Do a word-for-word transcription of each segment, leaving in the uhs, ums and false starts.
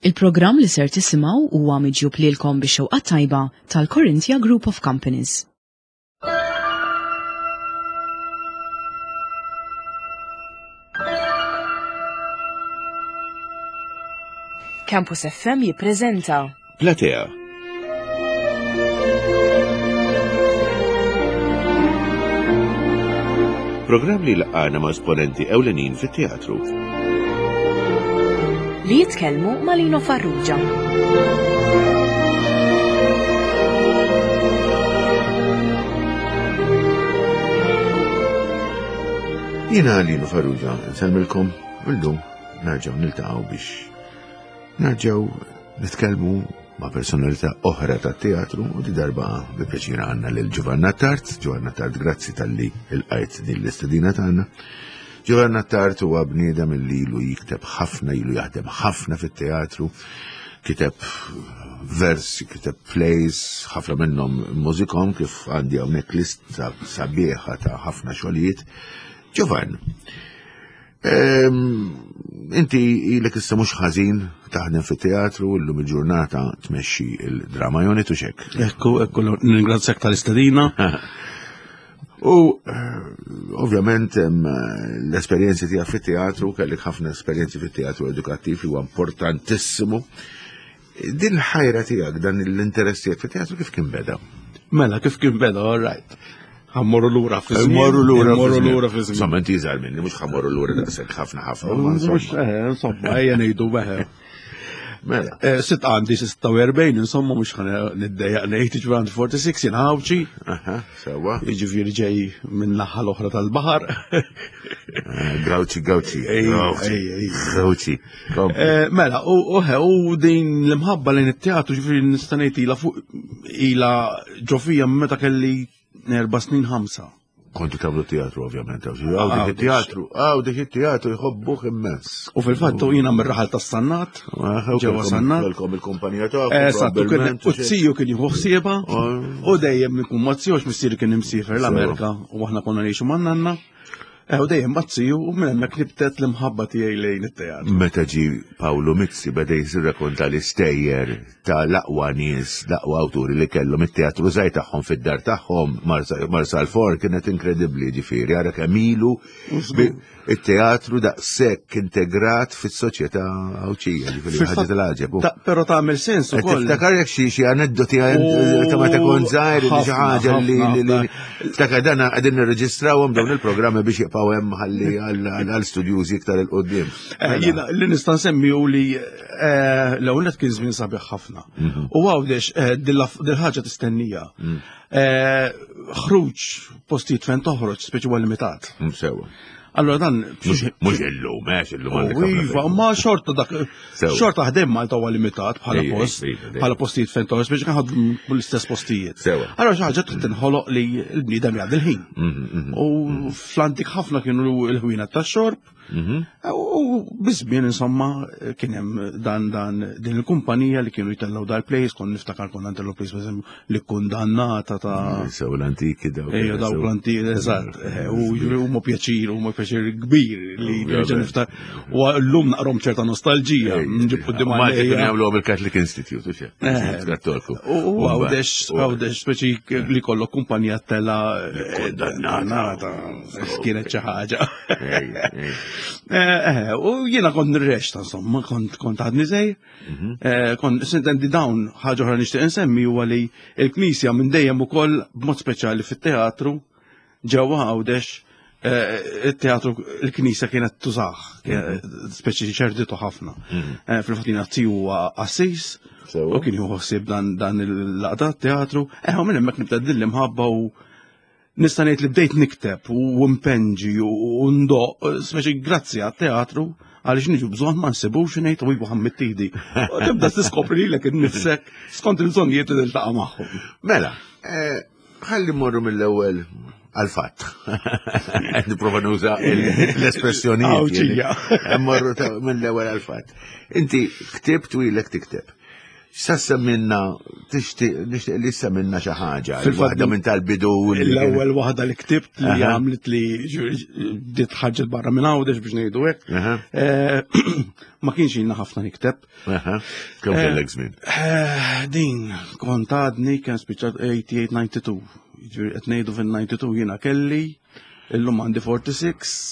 Il-programm li ser tisimgħu huwa miġjub lilkom bix-xewqa tajba tal-Corinthia Group of Companies. Campus F M jippreżenta Platea. Programm li laqgħana ma' esponenti ewlenin fit-teatru. Li jitkellmu ma' Lino Farrugia. Jiena Lino Farrugia, nsellmilkom illum nerġgħu niltaqgħu biex nerġgħu nitkellmu ma' personalità oħra tat-teatru u di darba bi pjaċir għandna lil Giovanna Attard. Giovanna Attard, grazzi talli ilqajt din l-istedina tagħna. Giovanna Attard huwa bniedem li ilu jikteb ħafna, ilu jaħdem ħafna fit-teatru, kiteb versi, kiteb plays, ħafna minnhom mużikom, kif għandi hawnhekk lista sabiħa ta' ħafna xogħlijiet. Giovanna, ehm, inti ilek issa mhux ħażin taħdem fit-teatru, illum il-ġurnata tmexxi il-Drama Unit u xek. Ekku, ekku, ningrazzjak tal-istedina. U ovvjament l-esperjenzi tiegħek fit-teatru, kellek ħafna esperjenzi fit-teatru edukattiv li huwa importantissimu. Din il-ħajra tiegħek, dan l-interess tiegħek fit-teatru kif kien beda? Mela, kif kien beda, all right. Ħammorru lura fi żmien. Ħammorru lura fi Ħammorru żmien. lura fi żmien. Insomma, inti iżgħar minni, mhux ħammorru lura daqshekk ħafna ħafna, ma Mhux, insomma. eh, insomma, ejja ngħidu beħe. Mela. Eh, sitt għandi sitta u erbgħin, insomma, mhux ħa niddejjaq ngħid, jiġifieri għandi forty-six, jien Għawdxi. Aha, sewwa. Jiġifieri ġej minn naħa l-oħra tal-baħar. Eh, Gawċi, Gawċi, Ej, Gawċi, ej, ej. Gawċi. Kompli. Eh, mela, u, u, u din l-imħabba lejn it-teatru, jiġifieri nista' ngħid ilha fuq, ilha ġo fija meta kelli erba' snin ħamsa. Kontu tagħmlu teatru, ovvjament, għaw, għaw, dik Għaw, it-teatru, għaw, dik it-teatru jħobbuh immens. U fil-fatt jiena mir-raħal tas-Sannat, Ah, ġewwa kelkom- Sannat. Kelkom il-kumpanija tagħkom, Eżatt, u kien- probabbilment, u t-siju kien jieħu ħsiebha, Ah. u dejjem ikun ma' t-siju, għax missieri kien imsiefer l-Amerika, u aħna konna ngħixu ma' nanna. Eh, u dejjem ma' t-siju, u minn hemmhekk nibtet l-imħabba tiegħi lejn it-teatru. Meta ġi Paolo Mizzi beda jirrakkonta l-istejjer ta' l-aqwa nies, l-aqwa awturi li kellhom it-teatru żgħir tagħhom fid-dar tagħhom, Marsa-, Marsalforn, kienet inkredibbli, ġifieri, ara kemm ilu bi-, it-teatru daqshekk integrat fis-soċjetà Għawdxija, ġifieri Fil-fatt ħaġa tal-għaġeb. ta-, però tagħmel sens Qed ukoll. Tiftakar jekk xi, xi aneddoti U ta' meta kont żgħir, li xi ħafna, ħaġa li, ħafna, li, li, ħafna. Ftakar dan qegħdin nirreġistrawhom dawn il-programmi biex jibqgħu hemm ħalli għal, għal, għal studjużi iktar il qudiem. Eh, jiena li nista' nsemmi hu li, eh, l-ewwel nett kien żmien sabiħ ħafna. Mhm. U Għawdex, eh, dil-ħaġa tistennija. Mm. Eh, ħruġ postijiet fejn toħroġ speċi huwa limitat. Mm, sewa. Allora dan Mhux, mhux illum, għax illum għandek U ħafna iva, fejn. ma xorta dak, Sewa. xorta ħdem Malta huwa limitat bħala Ej, post, ej, ej, ej. bħala postijiet fejn toħroġ, biex ħadmu l-istess postijiet. Sewa. Allora xi ħaġa trid tinħoloq li l-bniedem jgħaddi l-ħin. Mhm, mhm. U fl-antik ħafna kienu l-ħwienet tax-xorb. Mhm. U biż-żmien, insomma, kien hemm dan, dan, din il-kumpanija li kienu jtellgħu dal-plays, kon niftakar konna ntellgħu plays, per eżempju, li kundannata ta' Mm, sew l-antiki dawk. Ejja, dawk Sew. l-antiki, eżatt. Eh, u ġifieri huma pjaċir, huma pjaċir kbir li Ovvjament. nerġa' niftakar. U llum naqrom ċerta nostalġija, Ej, nġib quddiem Malta kienu għalija. jagħmluhom il-Catholic Institute, u xejn. Eh. Kattoliku. U Għawdex, Għawdex, speċi li kollok kumpanija tella, eh, Kundannata. kundannata, kienet xi ħaġa. Ej, ej. Eh, eh, u jiena kont nirrexta, insomma, kont, kont għadni żgħir. Mhm. Eh, kont sintendi dawn ħaġa oħra nixtieq insemmi huwa li l-Knisja minn dejjem ukoll b'mod speċjali fit-teatru ġewwa Għawdex, eh, it-teatru l-Knisja kienet tużah, Mhm. speċi ċerditu ħafna. Mhm. Eh, fil-fatt jiena tiju huwa qassis, Sewa. u kien jieħu ħsieb dan, dan il-laqda teatru, eh, u minn hemmhekk nibda din l-imħabba u nista' ngħid li bdejt nikteb u mpenġi u ndoq, speċi grazzi għat-teatru, għaliex niġu bżonn ma nsibux ngħid u ibu ħammittidi. U tibda tiskopri lilek innifsek skont il-bżonnijiet li tiltaqa' magħhom. Mela, eh, ħalli mmorru mill-ewwel għal-fatt. Nipprova nuża il-, l-espressjonijiet. Għawġija. Mmorru ta-, mill-ewwel għal-fatt. Inti ktibt u ilek tikteb. Sa semminna, tixtieq nixtieq li semminna xi ħaġa. Fil-fatt Waħda minn tal-bidu. li kien- L-ewwel waħda li ktibt li Aha. għamlet li bdiet ħarġet barra minn Għawdex biex ngħidu hekk. Aha, Eh, Ma kienx ilna ħafna nikteb. aha. Kemm Eh, kellek żmien? Eh, Din kont għadni kien spiċċat eighty-eight ninety-two. Jiġifieri qed ngħidu fin-ninety-two jiena kelli, illum għandi forty-six,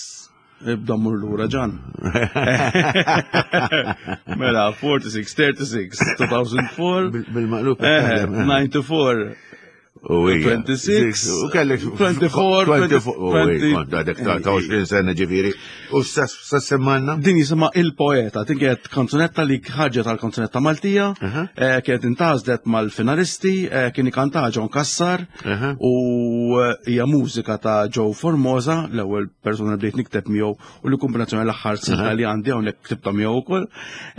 ibda mur lura ġan. Mela, forty-six, thirty-six, two thousand four, Bil- Bil-maqlub. eh, ninety-four, U hija. twenty-six, U kellek twenty-four, twenty-four, u twenty- kont għadek ta' ta' għoxrin sena ġifieri. U sa sa semmanna? Din jisimha Il-Poeta, din kienet kanzunetta li ħarġet għal kanzunetta Maltija, Aha. eh, kienet intgħażlet mal-finalisti, eh, kien ikanta John Cassar, Aha. u eh, hija mużika ta' Joe Formosa, l-ewwel persuna li bdejt nikteb miegħu u li kombinazzjoni l-aħħar silta li għandi hawnhekk ktibta miegħu wkoll.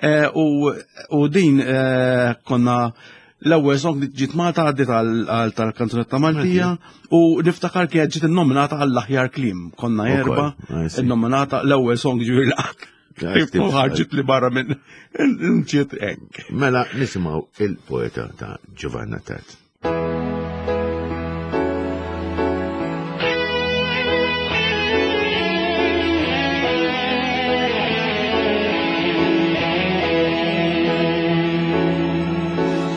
Eh, U u din eh, konna l-ewwel song li ġiet Malta għaddiet għal tal-kanzunetta Maltija u niftakar kienet ġiet innominata għall-aħjar kliem. Konna Ukoll, erba' I see. innominata l-ewwel song ġifieri l Ktib- ħarġet li barra minn ġiet hekk. Mela nisimgħu Il-Poeta ta' Giovanna Attard.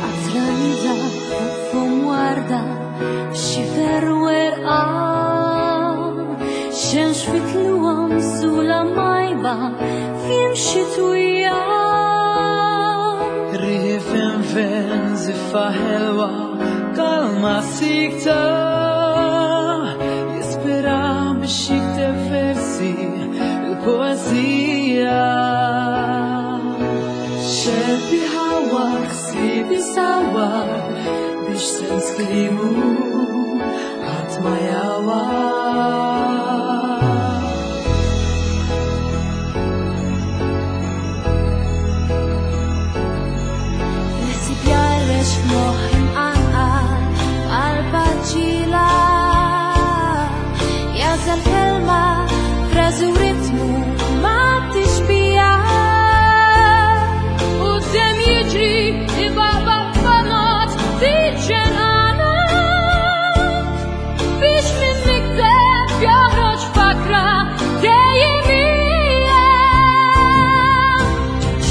Atlanta fum warda f'xifer werqa xemx fitluwam sula majba fim xitwija. Riħi fin ziffa ħelwa kalma sikta jispira biex jikteb versi il-poezija. Xebbi ħawa ħsibi sawa biex sens klimu ħadd ma jawa. L-ħsieb jarrex f'moħħ imqanqal f'qalba ġila jażel kelma frażi u ritmu ma tixbija u d-dem jiġri ibaba fanat tiġġenana biex minn mikteb joħroġ fakra dejjem hija.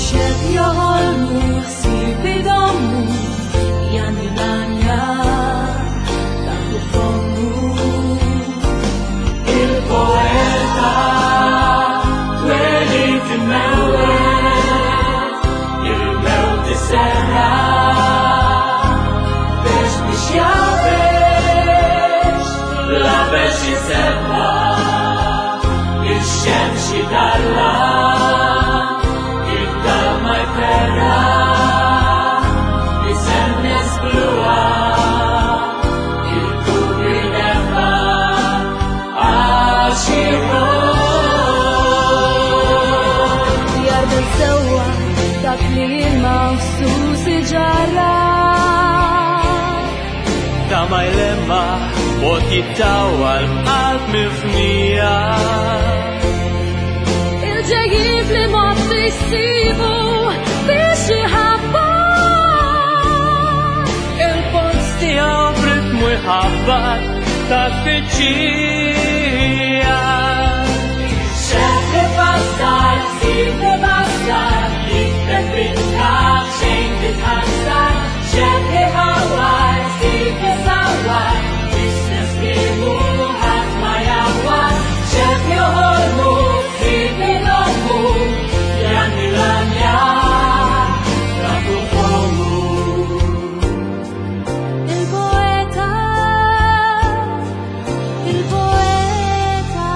Xeb joħolmu ħsieb idommu jani lanja tafu fommu. Il-poeta twelid imewwet, il-mewt iserra biex biex jafex, la biex jisebba, il-xemx jidalla, il-dalma jferra, isemmes bluha, il-dubju jnefa, għax iħobb. Jarbel sewwa dak li l-mawsus iġarra. Ta' ma jlemma bot jittawal qalb mifnija. Il-ġejjin li ma tissibu biex iħabba. Il-polz tiegħu b'ritmu jħabbat ta' tfittxija. Xebbi bassar, sibni bassar, jikteb bintaf xejn titħassar. Xebbi ħawar, sibni sawar, istess kliemu ħadd ma jawar. Xeb joħolmu, sibni nommu, janni l-anja, tafu fommu. Il-poeta, il-poeta.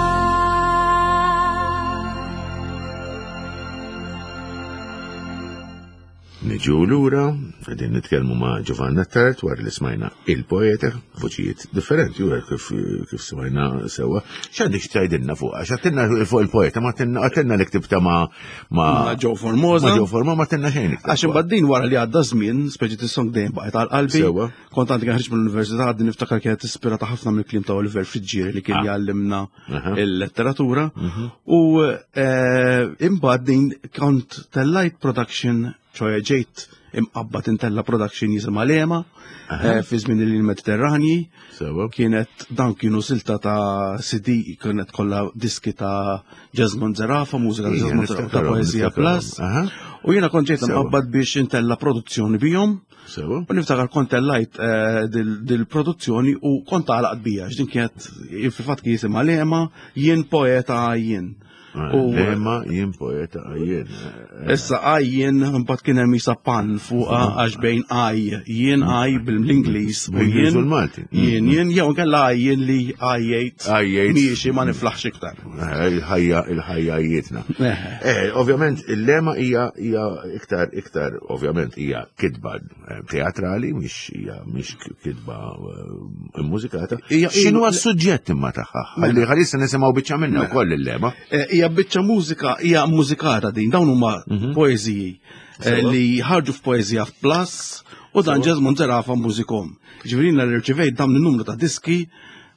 Niġu lura, qegħdin nitkellmu ma' Giovanna Attard wara li smajna Il-Poeta, voċijiet differenti, u kif, kif smajna sewa. X'għandek x'tgħidilna fuq? Għax għedtilna fuq Il-Poeta, ma għedtilna għedtilna li ktibta ma' ma' Ma' Joe Formosa. Ma' Joe Formosa, ma għedtilna xejn iktar. Għax imbagħad din wara li għadda żmien, speċi tis-song dejjem baqgħet għal qalbi. Sewwa. Kont għandi ħriġ mill-università għaddi niftakar kienet ispirata ħafna mill-kliem ta' Oliver Friggieri li kien Ah. jgħallimna Aha. il-letteratura. U eh, imbagħad din kont tellajt production, ċoħe ġejt imqabba tintella production jisimha Lema eh, fi żmien il-Mediterranji. Sewa. Kienet dan kienu silta ta' C D, kienet kollha diski ta' Jesmond Zerafa, mużika ta' Ija, Jesmond Zerafa ta' niftakarhom, Poezija niftakarhom. Plus. Aha. U jiena kont ġejt Sewa. imqabbad biex intella produzzjoni bihom. Sewa. U niftakar kont tellajt eh, dil- dil-produzzjoni u kont għalaqt bija, x'din kienet fil-fatt kien jisimha Lema, "Jien poeta jien". U- Lema, "Jien poeta jien". Issa għajjien, mbagħad kien hemm isa pan fuqha għax bejn għaj, jien għaj bil-Ingliż u Bil-Ingliż jien u l-Malti. Jien jien jew nkella għajjien li għajjejt Għajjejt. miexi ma niflaħx iktar. Eh, Il-ħajja, il-ħajja jietna. Eh. Eh, ovvjament, il-lema hija hija iktar, iktar, ovvjament, hija kitba eh, teatrali, mhix hija mhix kitba eh, mużikata. Hija- X'inhu s-suġġett imma tagħha? Ħalli ħalissa nisimgħu biċċa minnha wkoll il-lema. Eh, Hija biċċa mużika, hija mużikata din, dawn huma poeżiji eh, Sewa. li ħarġu f'Poeżija Plus u dan Jesmond Zerafa mużikom. Ġifieri jiena li rċivejt dawn in-numru ta' diski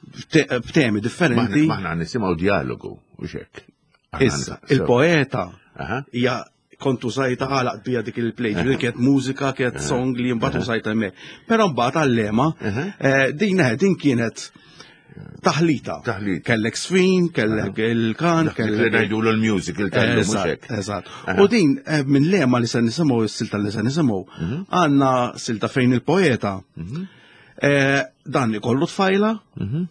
b'te- b'temi differenti. Maħna nisimgħu dialogu u xek. Issa, il-poeta Aha. hija kont użajta għalaq bija dik il-play, ġifieri kienet mużika, kienet song li mbagħad użajta hemmhekk. Però mbagħad għal-lema, Aha. eh, din eh, din kienet taħlita. Taħlita. Kellek sfin, kellek il-kan, Li kellek ngħidulu l-musical tal-lum u Eżatt, xek. eżatt. Aha. U din eh, minn lema li se nisimgħu, is-silta li se nisimgħu, Mhm. għandna silta fejn il-poeta eh, dan ikollu tfajla Mhm.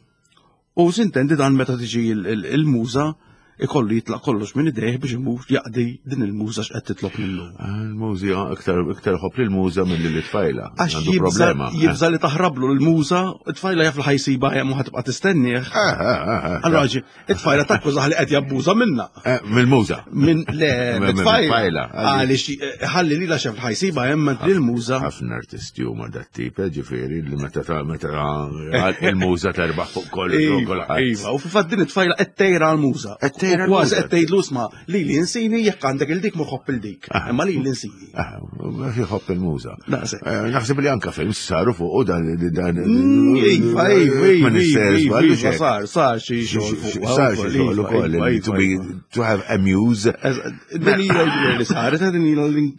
u sintendi dan meta tiġi il- il- il-muża ikollu jitlaq kollox minn idejh biex imur jaqdi din il-muża x'qed titlob minnu. Il-muża, iktar iktar ħobb lil-muża minn li l-tfajla. Għax Għandu jibża problema. jibża li taħrablu l-muża, it-tfajla jaf li ħa jsibha hemm u ħa tibqa' tistennieh. Eh, eh, eh, Allora ġi, it-tfajla takkużah li qed jabbuża minna. eh, Mill-muża. Minn le, Minn- minn mit-tfajla. tfajla. Għaliex eh, ħalli li la xef ħa jsibha hemm lil-muża. Ħafna artisti huma dat tip, eh, ġifieri li meta ta' meta il-muża terbaħ fuq kollu Iva, kulħadd. iva, u fil-fatt din it-tfajla qed tgħira għall-muża. Qed tgħira U kważi għall-muża. qed tgħidlu isma' li li insini jekk għandek il-dik mur ħobb il-dik. Imma li li insini. Ah, jħobb il-muża. Daqshekk. Eh, Naħseb li anka films saru fuq u dan dan. Mm, Iva, iva, Ma iva, nistgħu iva, żballu iva, xejn. sar, sar xi xogħol fuq. Sar xi xogħol ukoll Iva, to be iva. to have a muse. Din ila li saret, din ila li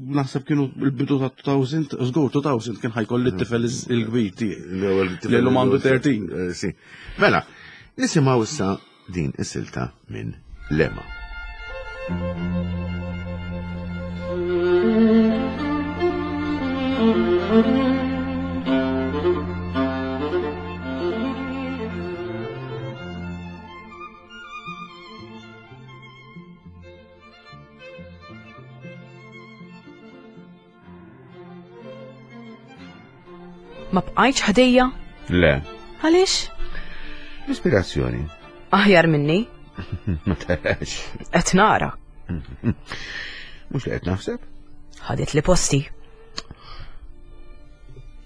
naħseb kienu il-bidu ta' elfejn, żgur elfejn kien ħa jkolli t-tifel il-kbir tiegħi. L-ewwel Li llum għandu tlettax. Eh, Sì. Mela, nisimgħu issa din is-silta minn Lema. Ma bqajtx ħdejja? Le. Għaliex? L-ispirazzjoni. Aħjar minni, Ma tarax. qed nara. Mhux li qed naħseb? Ħadet li posti.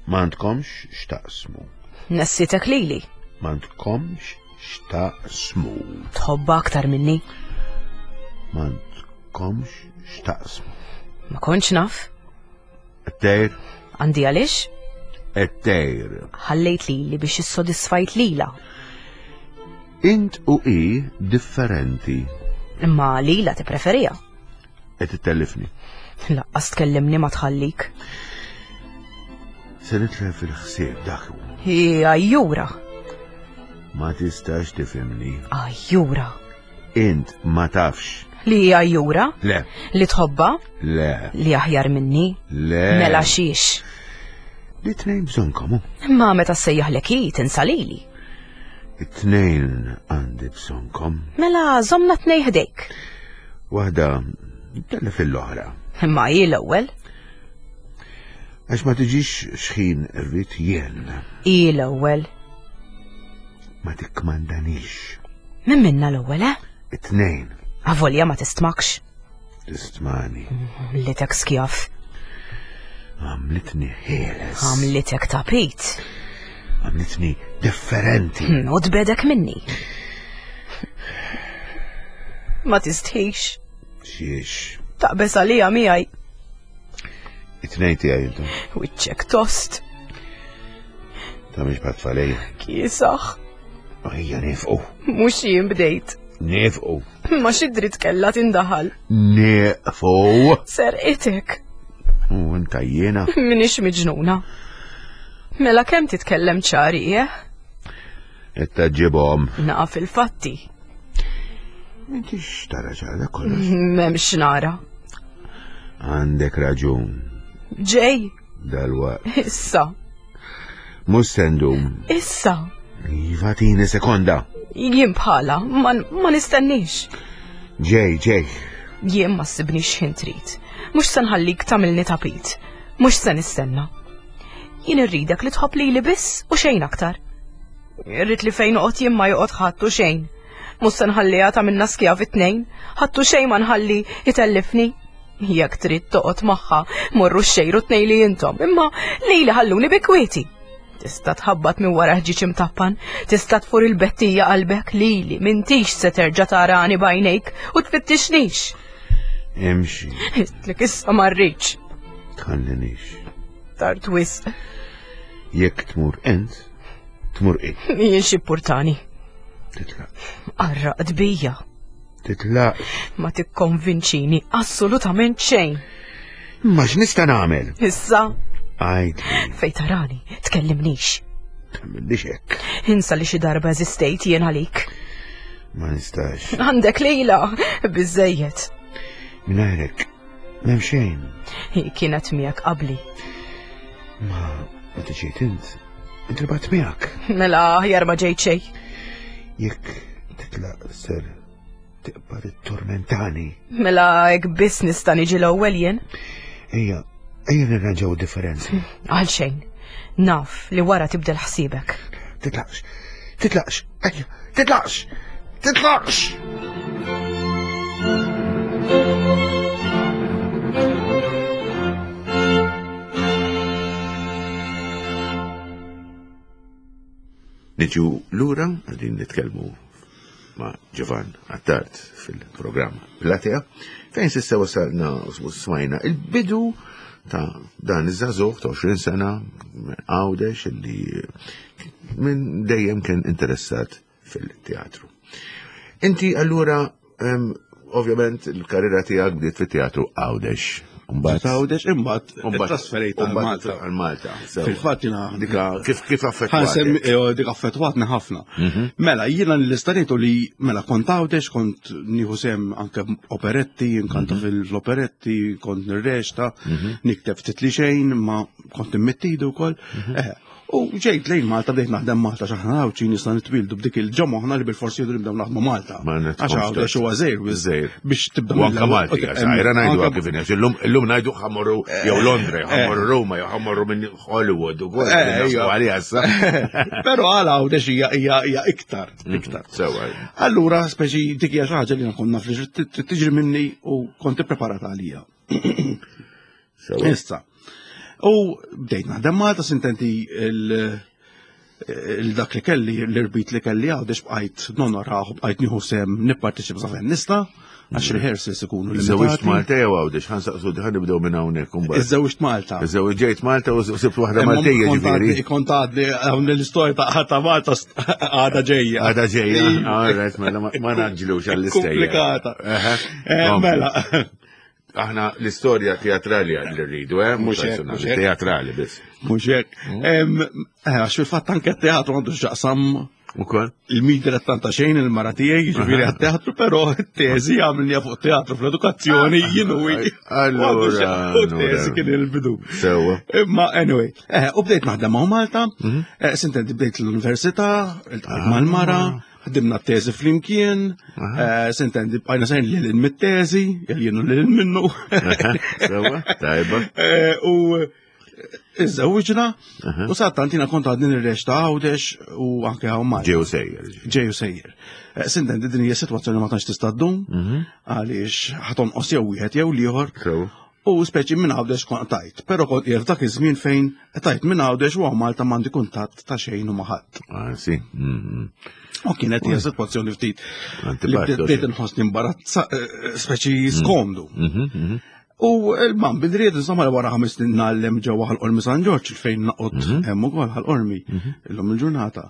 M'għandkomx x'taqsmu. Nessitek lili. M'għandkomx x'taqsmu. Tħobba aktar minni. M'għandkomx x'taqsmu. Ma kontx naf. Qed Għandi għaliex? Qed Ħallejt lili biex issodisfajt lila. Int u i differenti. Imma lila tippreferija. Qed ittellifni. Laqqas tkellimni ma tħallik. Se nitlef fil-ħsieb dak hu. Hi għajjura. Ma tistax tifhimni. Għajjura. Int ma tafx. Li hi għajjura? Le. Li tħobba? Le. Li aħjar minni? Le. Mela xiex. Li tnejn bżonnkom hu. Imma meta ssejjaħlek hi tinsa lili. It-tnejn għandi bżonnkom. Mela żomna tnej ħdejk. Waħda tellef l-oħra. Imma hi l-ewwel. Għax ma tiġix xħin irrid jien. Hi l-ewwel. Ma tikkmandanix. Min minna l-ewwel, eh? It-tnejn Avolja ma tistmakx. tistmani. Għamlitek skjaf. Għamlitni ħieles. Għamlitek tapit. Għamlitni differenti. Hmm, U tbedek minni. Ma tistħix. Xiex. Taqbes għalija miegħi. It-tnejn tiegħi intom. Wiċċek tost. Ta' mhix bħat-tfalej. Kiesaħ. Ejja nifqu. Mhux jien bdejt. Nifqu. Ma xi dritt kellha tindaħal. Nifqu. Serqitek. U inta jiena. Minix miġnuna. Mela kemm titkellem ċari, eh? Qed taġġibhom. Naf il-fatti. M'intix tara ċara kollox. M'hemmx nara. Għandek raġun. Ġej, Dalwaqt. issa, Mhux se ndum. issa. Iva tini sekonda. Jien bħala, ma, ma nistennix. Ġej, ġej. Jien ma ssibnix ħin trid. Mhux se nħallik tagħmilni tapit. Mhux se nistenna. Jien irridek li tħobb lili biss u xejn aktar. Irrid li fejn noqgħod jien ma joqgħod ħadd u xejn. Mhux se nħalliha tagħmilna skjavi tnejn, ħadd u xejn ma nħalli jitellifni. Jekk trid toqgħod magħha, morru xejru tnejn li intom, imma lili ħalluni bi kwieti. Tista' tħabbat minn wara ħġieġ imtappan, tista' tfur il-bettija qalbek lili, m'intix se terġa' tarani b'għajnejk u tfittixnix. Imxi. Għidtlek issa ma rridx. Tħallinix. Tard wisq. Jekk tmur int, tmur i. Jien x'impurtani. Titlaqx. Qarraqt bija. Titlaqx. Ma tikkonvinċini assolutament xejn. Ma x'nista' nagħmel? Issa, Għidli, fej tarani, tkellimnix. tagħmillix hekk. Insa li xi darba eżistejt jien għalik. Ma nistax. Għandek lejla, biżejjed. Mingħajrek, m'hemm xejn. Hi kienet miegħek qabli. Ma meta ġejt int, intrabat miegħek. Mela aħjar ma ġejt xejn. Jekk titlaq ser tibqa' tittormentani. Mela hekk biss nista' niġi l-ewwel jien. Ejja, ejja nirranġaw differenzi. Għal xejn. Naf li wara tibdel ħsiebek. Titlaqx, titlaqx, ejja, titlaqx, titlaqx! Niġu lura għadin nitkellmu ma' Giovann Attard fil-programm Platea, fejn s'issa wasalna u smajna il-bidu ta' dan iż-żagħżugħ ta' għoxrin sena minn Għawdex illi minn dejjem kien interessat fil-teatru. Inti allura em, ovvjament il-karriera tiegħek bdiet fit-teatru Għawdex. Mbagħad Għawdex imbagħad Mbagħad- trasferejt għal mbagħad Malta. Għal Malta. sewa. Fil-fatt jiena Dika kif kif Ħa nsemmi affettwatek? eh, dik affettwatni ħafna. Mela, jiena l-istanejtu li mela kont Għawdex, kont nieħu sehem anke operetti, nkanta fil-operetti, kont nirreċta, nikteb ftit li xejn, ma kont immettidu wkoll. Eh, U ġejt lejn Malta bdejt naħdem Malta x'aħna Għawdxin nista' nitwildu b'dik il-ġo moħħna li bil-forsi jridu nibdew naħdmu Malta. Ma Għax netkomx Għawdex huwa żgħir Żgħir. biex tibda U anka mill-ewwel. Malti, Ok, għax għajra ngħidu anka- kif inhi, illum illum ngħidu ħa mmorru jew Londra, jew ħa mmorru Roma, jew ħa mmorru minn Hollywood ukoll. Eh, naħsbu ejja. għaliha issa. Però għal Għawdex hija hija hija iktar, iktar. Sewa. Allura, speċi dik hija xi ħaġa li nkun naf li trid tiġri minni u kont ippreparata għalija. Sewa. Issa. U bdejt naħdem Malta s'intendi il- il-dak li kelli, l-irbit li kelli Għawdex bqajt nonoraħ, bqajt nieħu sehem nipparteċipa sa fejn nista', għax rehearsals ikunu Iżżewġt limitati. Malta jew Għawdex, ħa nsaqsu ħa nibdew minn hawnhekk imbagħad. Iżżewġt Malta. Iżżewġ ġejt Malta u sibt waħda Imma Maltija kont ġifieri. għadni- Kont għadni hawn l-istorja ta' ta' Malta st- għadha ġejja. Għada ġejja, all right, mela ma ma naġġlux għall-istejja. Komplikata. Eħe. Eh, Kompli. Mela. Aħna l-istorja teatrali li rridu, eh? Mhux hekk, personali, mhux hekk. Teatrali biss. Mhux hekk. Em, eh, Għax fil-fatt anke t-teatru għandu x'jaqsam Ukoll? il-media tanta xejn il-mara tiegħi, jiġifieri għat-teatru, però t-teżi għamilni fuq teatru fl-edukazzjoni jien u hi. Allura, U t-teżi allura. kien il-bidu. Sewa. Imma anyway, eh, u bdejt naħdem ma' Malta, eh, s'intendi bdejt l-università, iltqajt mal-mara, ħdimna t-teżi flimkien, eh, s'intendi bqajna sejrin lil hinn mit-teżi, jien u lil hinn minnu. Sewa, tajba. Eh, U iżżewġna, u sadanittant jiena kont għadni nirreċta Għawdex u anke hawn Malta. Ġew sejjer. Ġeju sejjer. Eh, S'intendi din hija sitwazzjoni ma tantx tista' ddum, għaliex ħa tonqos jew wieħed jew l-ieħor. Sewa. U speċi minn Għawdex kont tajt, però kont qiegħed f'dak iż-żmien fejn tajt minn Għawdex u hawn Malta m'għandi kuntatt ta' xejn u ma' ħadd. Ah, sì. Mhm. U kienet hija sitwazzjoni ftit li Antipatico, bdejt sì. inħossni imbarazza, eh, speċi skomdu. Mhm, mhm. U il-man bidriet, insomma, wara ħames snin ngħallem ġewwa Ħal Qormi San Ġorġ, fejn noqgħod hemm ukoll Ħal Qormi illum il-ġurnata.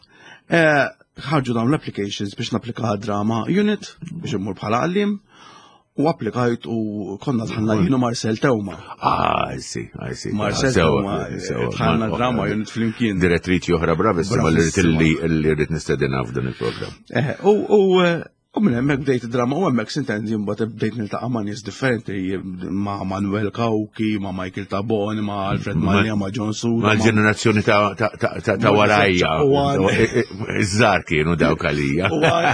Eh, Ħarġu dawn l-applications biex napplika drama unit biex immur bħala għallim. U applikajt u konna dħalna jien u Marcel Teuma. Ah, I see, I see. Marcel Sewa, Teuma, sewa. dħalna drama unit flimkien. Direttriċi oħra bravissima li rrid Bravissima. li li rrid nistedinha f'dan il-programm. Eh, U u eh, u minn hemmhekk bdejt id-drama u hemmhekk sintendi mbagħad bdejt niltaqa' ma' nies differenti ma' Manuel Cauchi, ma' Michael Tabone, ma' Alfred Ma- Mallia, ma' John Suda. Ma l-ġenerazzjoni ta' ta' ta' ta' ta' warajja. U għan- Iż-żar kienu dawk għalija. U għan-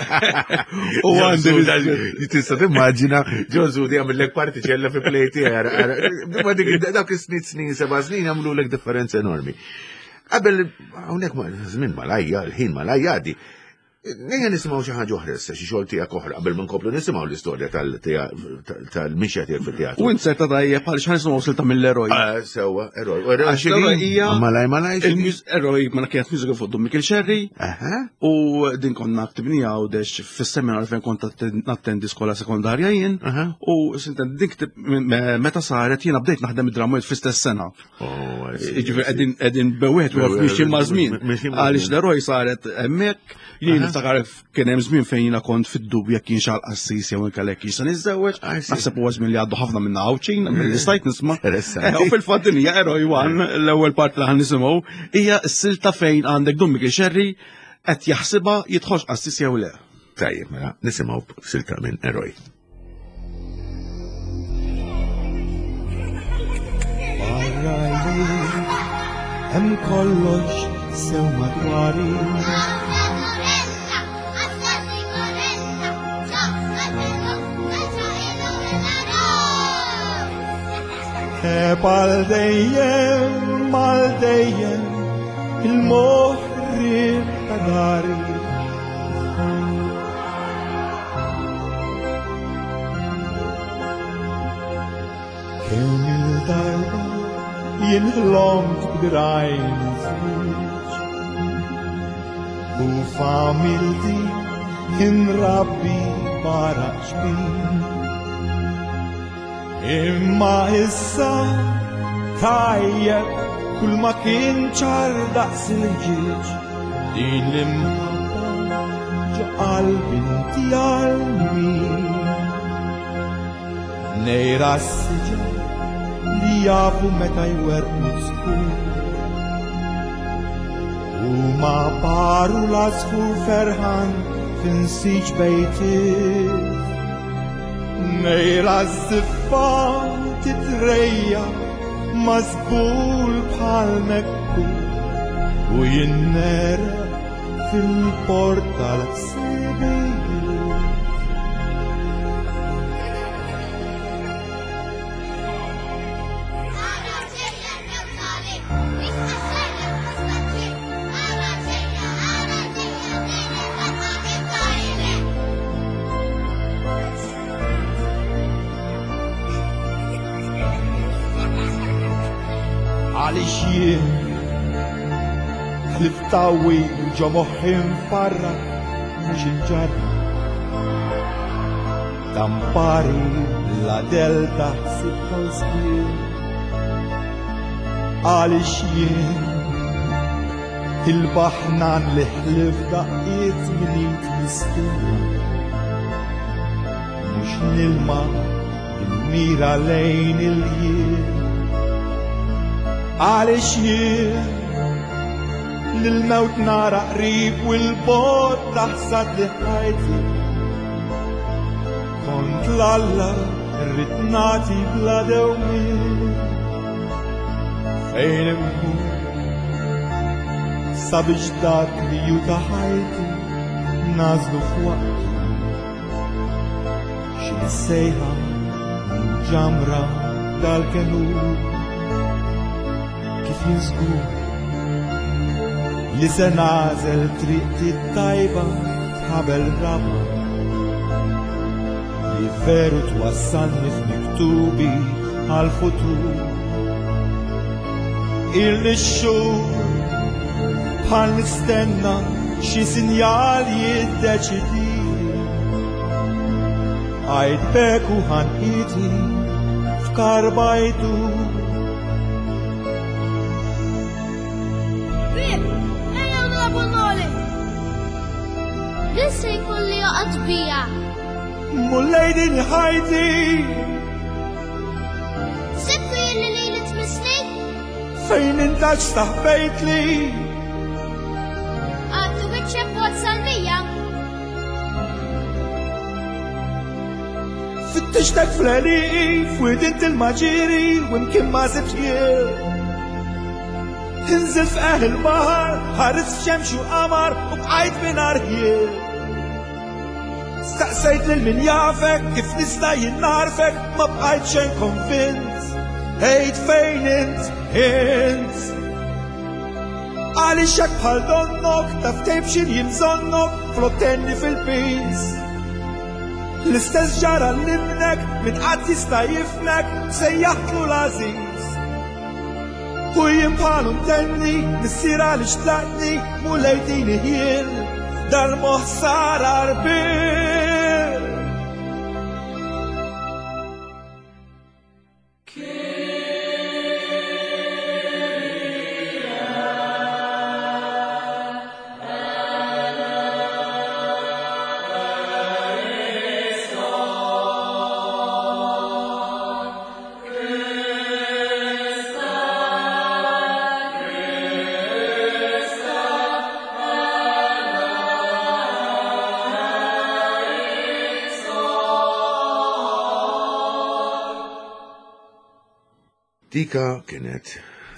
u għandi Tista' timmaġina John Sudi għamillek partiċella fi play tiegħek. Ma dik dawk is-snin snin seba' snin għamlulek differenza enormi. Qabel hawnhekk ma żmien malajja, il-ħin malajja għaddi. Nejja nisimgħu xi ħaġa oħra issa, xi xogħol tiegħek oħra qabel ma nkomplu nisimgħu l-istorja tal-mixja tiegħek fit-teatru. U inserta tajjeb għaliex ħa nisimgħu silta mill-eroj. Ah, Sewwa, eroj. U eroj Għax l-eroj hija- Malaj malaj x'inhi? Il-eroj ma kienet musical fuq Dun Mikiel Xerri Aha. u din konna ktibnija u dex fis-seminar fejn kont atten- nattendi skola sekondarja jien Aha. u sintendi din ktib meta saret jiena bdejt naħdem id-drama fl-istess sena. Oh, I see, Ġifieri I see. qegħdin qegħdin bewieħed u mixin ma' żmien. Mixin ma' Għaliex żmien. l-eroj saret hemmhekk, jien niftakar kien hemm żmien fejn jiena kont fid-dubju jekk kienx għal qassis jew inkella jekk kienx se niżżewweġ. I see. Naħseb huwa żmien li għaddu ħafna minna Għawdxin, milli stajt nisma'. Interessanti. Eh, U fil-fatt din hija Eroj One, l-ewwel part li ħan nisimgħu, hija s-silta fejn għandek Dun Mikiel Xerri qed jaħsibha jidħolx qassis jew le. Tajjeb, mela, nisimgħu silta minn eroj. Barra jien hemm kollox sew madwari. Għal dejjem, għal dejjem, il-moħri ta' dari. Kemm il-darba jien ħlomt b'dirajn żwieġ u familti inrabbi barra ġbin. Imma issa tajjeb kull ma kien ċar daqs il-ġieġ din l-imħabba ġo qalbi inti għal min. Nejra s-siġar li jafu meta jwerqu skur. U ma paru l-asfur ferħan finsiġ bejtiet. Nejra s-siffa titrejja mażbul bħal mekku u jinnera fil-port tal-ħsibijiet. Għaliex jien ħlif tawwi ġo moħħi mfarrak mhux imġarrab. Tampari la delta ħsib żmien. Għaliex jien il-baħnan li ħlif daqqiet minit mistilla. Mhux nilma il-mira lejn il-jien. Għaliex jien lil-mewt nara qrib u l-bot taħsad li ħajti. Kont l-Alla rrid nagħti bla dewmien. Fejn immur sabiex dak li ju ta' ħajti nażlu f'waqtu. Xi sejħa minn ġamra dal-kenur kif jinżgur li se nażel triqti tajba tħabel raba li veru twassalni f'miktubi għal-futur. Illi x-xhur bħal nistenna xi sinjal jiddeċidili. Għajt beku ħanqiti f'karbajtu. Bib, ejjew nilagħbu noli. Din se jkolli joqgħod bija. Mulej din ħajti. Sibtu jien li lili tmissni? Fejn intax staħbejtli? Għaddu wiċċek bot salmija. Fittixtek fl-għeliqi, f'wid il-maġiri, u mkien ma sibx jien. Inżil f'qaħ il-baħar, ħares f'xemx u qamar, u bqajt mingħajr ħjiel. Staqsejt lil min jafek, kif nista' jien narfek, ma bqajt xejn konvint. Ejt fejn int, int. Għaliex hekk bħal donnok, taf tgħib x'inhi bżonnok, flok tenni fil-peace. L-istess ġara l-ibnek, min qatt jista' jifmek, sejjaħtlu l-għażiż. U jien bħalu ntenni, missier għaliex tlaqtni, mulej tini ħjiel, dal-moħħ sar għarbiel. Dika kienet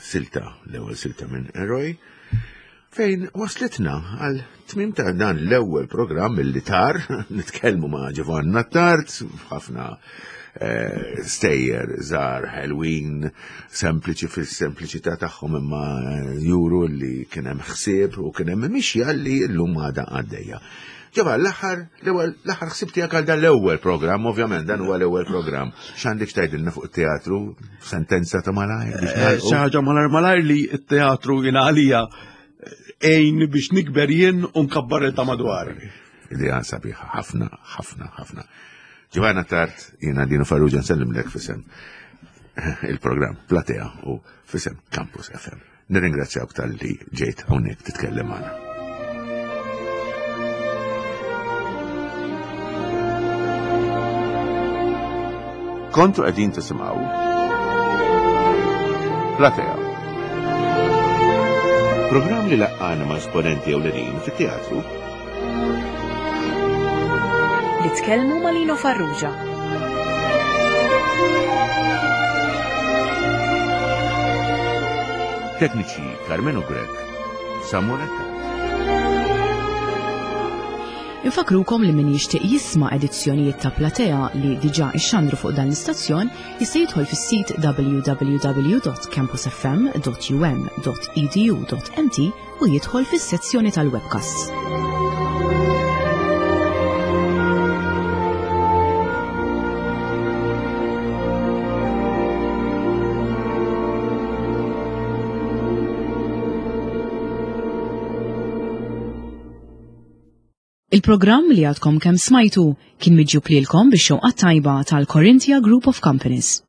silta, l-ewwel silta minn Eroj, fejn waslitna għal tmim ta' dan l-ewwel programm li tar, nitkellmu ma' Giovanna Attard, ħafna eh, stejjer żgħar ħelwin, sempliċi fis-sempliċità tagħhom imma juru li kien hemm ħsieb u kien hemm mixja li llum għadha għaddejja. Ġova, l-aħħar, l-ewwel, l-aħħar ħsieb tiegħek għal dan l-ewwel programm, ovvjament dan huwa l-ewwel programm. X'għandek tgħidilna fuq it-teatru? Sentenza ta' malajr biex Eh, nagħlqu? Xi ħaġa malajr malajr li t-teatru jiena għalija għejn biex nikber jien u nkabbar il ta' madwar. Idea sabiħa, ħafna, ħafna, ħafna. Giovanna Attard, jiena Dino Farrugia nsellimlek fisem il-programm Platea u fisem Campus F M. Nirringrazzjawk tal-li ġejt hawnhekk titkellem magħna. Kontu qegħdin tisimgħu Platea. Programm li laqqana ma' esponenti ewlenin fit-teatru li tkellmu ma' Lino Farrugia. Tekniċi Carmenu Grech, Samuel Attard. Infakrukom li min jixtieq jisma' edizzjonijiet ta' Platea li diġà ixxandru fuq dan l-istazzjon jista' jidħol fis-sit w w w dot campus f m dot u m dot e d u dot m t u jidħol fis-sezzjoni tal-webcasts. Il-programm li għadkom kemm smajtu kien miġjub lilkom bix-xewqa tajba tal-Corinthia Group of Companies.